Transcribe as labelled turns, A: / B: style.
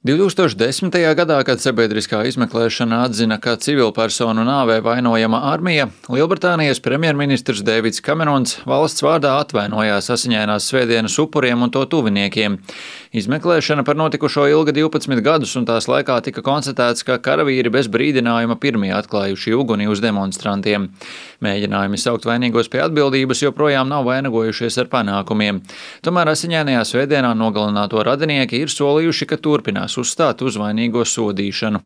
A: 2010. gadā, kad sabiedriskā izmeklēšana atzina, ka civilpersonu nāvē vainojama armija, Lielbritānijas premjerministrs Deivids Kamerons valsts vārdā atvainojās Asiņainās svētdienas upuriem un to tuviniekiem. Izmeklēšana par notikušo ilga 12 gadus, un tās laikā tika konstatēts, ka karavīri bez brīdinājuma pirmie atklājuši uguni uz demonstrantiem. Mēģinājumi saukt vainīgos pie atbildības joprojām nav vainagojušies ar panākumiem. Tomēr Asiņainajā svētdienā nogalināto radinieki ir solījuši, ka turpinās uzstāt uz vainīgo sodīšanu.